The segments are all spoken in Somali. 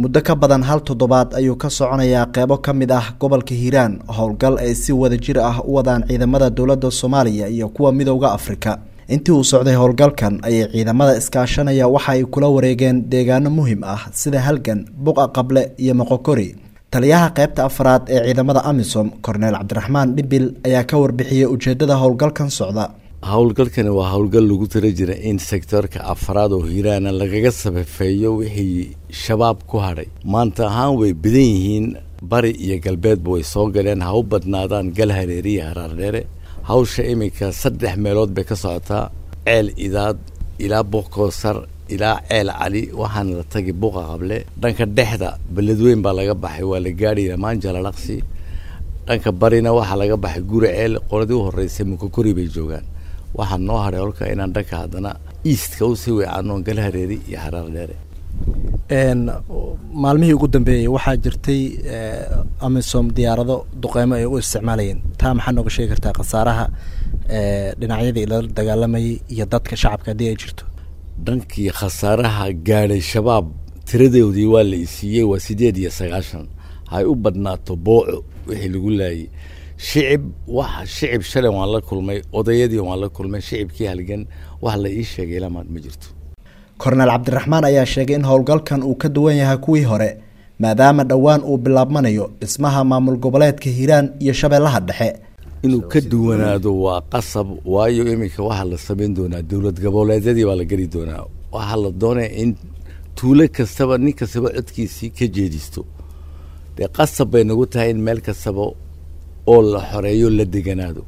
Muddo ka badan hal toddobaad ayuu ka soconayaa qeybo ka mid ah gobolka Hiiraan howlgal ay si wadajir ah u wadaan ciidamada dowladda Soomaaliya iyo kuwa Midowga Afrika. Intii uu socday howlgalkan ayay ciidamada iskaashanaya waxa ay kula wareegeen deegaano muhiim ah sida Halgan, Buqa Qable iyo Moqokori. Taliyaha qaybta afraad ee ciidamada AMISOM, Korneel Cabdiraxmaan Dhibil, ayaa ka warbixiyey ujeedada howlgalkan socda. Howlgalkani waa howlgal lagu tala jira in sektorka afraad oo Hiiraana lagaga sabafeeyo wixii Shabaab ku hadhay. Maanta ahaan way badan yihiin, bari iyo galbeedba way soo galeen, ha u badnaadaan Galhareeri iyo Haraardheere. Hawsha iminka 3 meelood bay ka socotaa: Ceel Idaad ilaa Buqkoosar ilaa Ceel Cali, waxaana la tagi Buqa Qable. Dhanka dhexda Beledweyn baa laga baxay, waa la gaadhi Maanjalalaqsi. Dhanka barina waxaa laga baxay Guri Ceel, qoladii u horreysay Mukokori bay joogaan. Waxaa noo hadhay holka inaan dhanka haddana eastka usii weecaano Galhareeri iyo Haraardheere. Maalmihii ugu dambeeyey waxaa jirtay AMISOM diyaarado duqeymo ay u isticmaalayeen, taa maxaa nooga sheegi kartaa khasaaraha dhinacyadii lala dagaalamayay iyo dadka shacabka haddii ay jirto? Dhankii khasaaraha gaadhay Shabaab tiradoodii waa la isiiyey, waa 98, hay u badnaato Booco wixii lagu laayay. Shicib, wax shicib shalay waan la kulmay, odayadii waan la kulmay, shicibkii Halgan wax la ii sheegay ilamaan ma jirto. Korneel Cabdiraxmaan ayaa sheegay in howlgalkan uu ka duwan yahay kuwii hore maadaama dhowaan uu bilaabmanayo dhismaha maamul goboleedka Hiiraan iyo Shabeellaha Dhexe. Inuu ka duwanaado waa qasab, waayo iminka waxaa la samayn doonaa dowlad goboleedyadii baa la geli doonaa. Waxaa la doonaya in tuulo kastaba nin kastaba codkiisii ka jeedisto. Dee qasab bay nagu tahay in meel kastaba oo la xoreeyo la deganaado.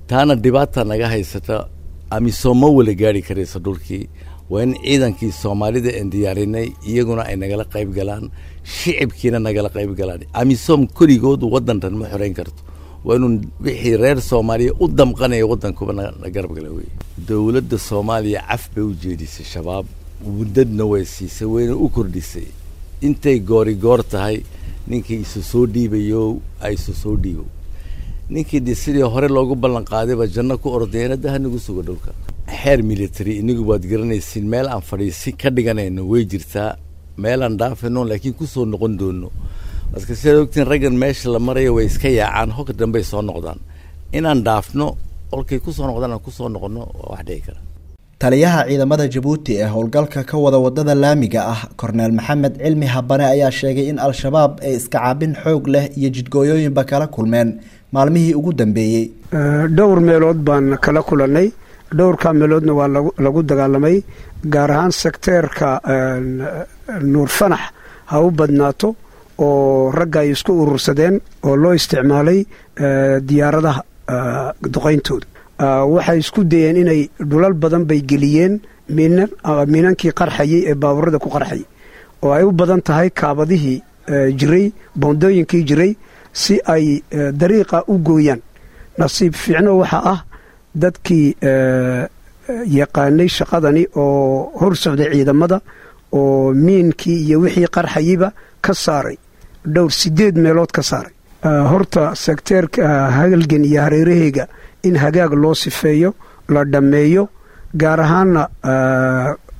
Taana dhibaata naga haysata, AMISOM ma wala gaari karaysa dhulkii. Waa in ciidankii Soomaalida aan diyaarinay iyaguna ay nagala qayb galaan, shicibkiina nagala qayb galaan. AMISOM keligood waddantan ma xoreyn karto, waa inuu wixii reer Soomaaliya u damqanaya waddankuba na garab gala. Wey dowladda Soomaaliya caf bay u jeedisay Shabaab, muddadna way siisay, wayna u kordhisay intay goori goor tahay. Ninkii isu soo dhiibayo ay isu soo dhiibo, ninkii de sidii hore loogu ballan qaadayba janno ku ordayana da hanagu suga dhulka. Xeer military inagu waad garanaysiin, meel aan fadhiisi ka dhiganayno way jirtaa, meelaan dhaafayno laakiin kusoo noqon doono. Marka sidaad ogtiin, raggan meesha la marayo way iska yaacaan, hogka dambey soo noqdaan. Inaan dhaafno olkay kusoo noqdaan aan kusoo noqono waa wax dhici kara. Taliyaha ciidamada Jabuuti ee howlgalka ka wada wadada laamiga ah, Korneel Maxamed Cilmi Habane, ayaa sheegay in Al-Shabaab ay iska caabin xoog leh iyo jidgooyooyinba kala kulmeen maalmihii ugu dambeeyey. Dhowr meelood baan kala kulannay, dhowrkaa meeloodna waa lagu dagaalamay, gaar ahaan sekteerka Nuur Fanax ha u badnaato oo ragga ay isku urursadeen oo loo isticmaalay diyaaradaha duqayntooda. Waxay isku dayeen inay dhulal badan bay geliyeen miinankii qarxayey ee baabuurada ku qarxayay, oo ay u badan tahay kaabadihii jiray, boondooyinkii jiray, si ay dariiqa u gooyaan. Nasiib fiicno waxaa ah dadkii yaqaanay shaqadani oo hor socday ciidamada oo miinkii iyo wixii qarxayeyba ka saaray, dhowr 8 meelood ka saaray. Horta sekteerka Halgan iyo hareeraheyga in hagaag loo sifeeyo la dhammeeyo, gaar ahaana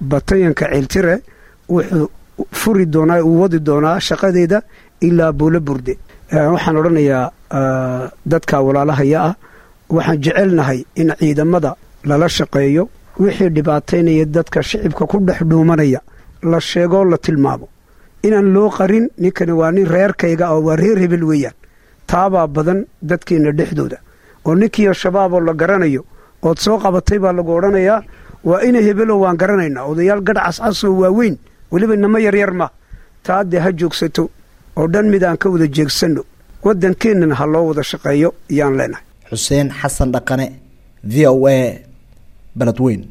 batayanka Ceeltire wuxuu furi doonaa, uu wadi doonaa shaqadeeda ilaa Buulo Burde. Waxaan odhanayaa dadka walaalahaya ah, waxaan jecelnahay in ciidamada lala shaqeeyo, wixii dhibaataynaya dadka shicibka ku dhex dhuumanaya la sheegoo la tilmaamo, inaan loo qarin ninkani waa nin reerkayga oo waa reer hebel weeyaan. Taabaa badan dadkeenna dhexdooda, oo ninkii Shabaaboo la garanayo ood soo qabatay baa lagu odhanayaa waa ina hebelo, waan garanaynaa, odayaal gadh cascasoo waaweyn, weliba inamo yaryar ma. Taa dee ha joogsato oo dhan mid aan ka wada jeegsanno, waddankeennana ha loo wada shaqeeyo yaan leenahay. Xuseen Xasan Dhaqane, V O A, Beledweyn.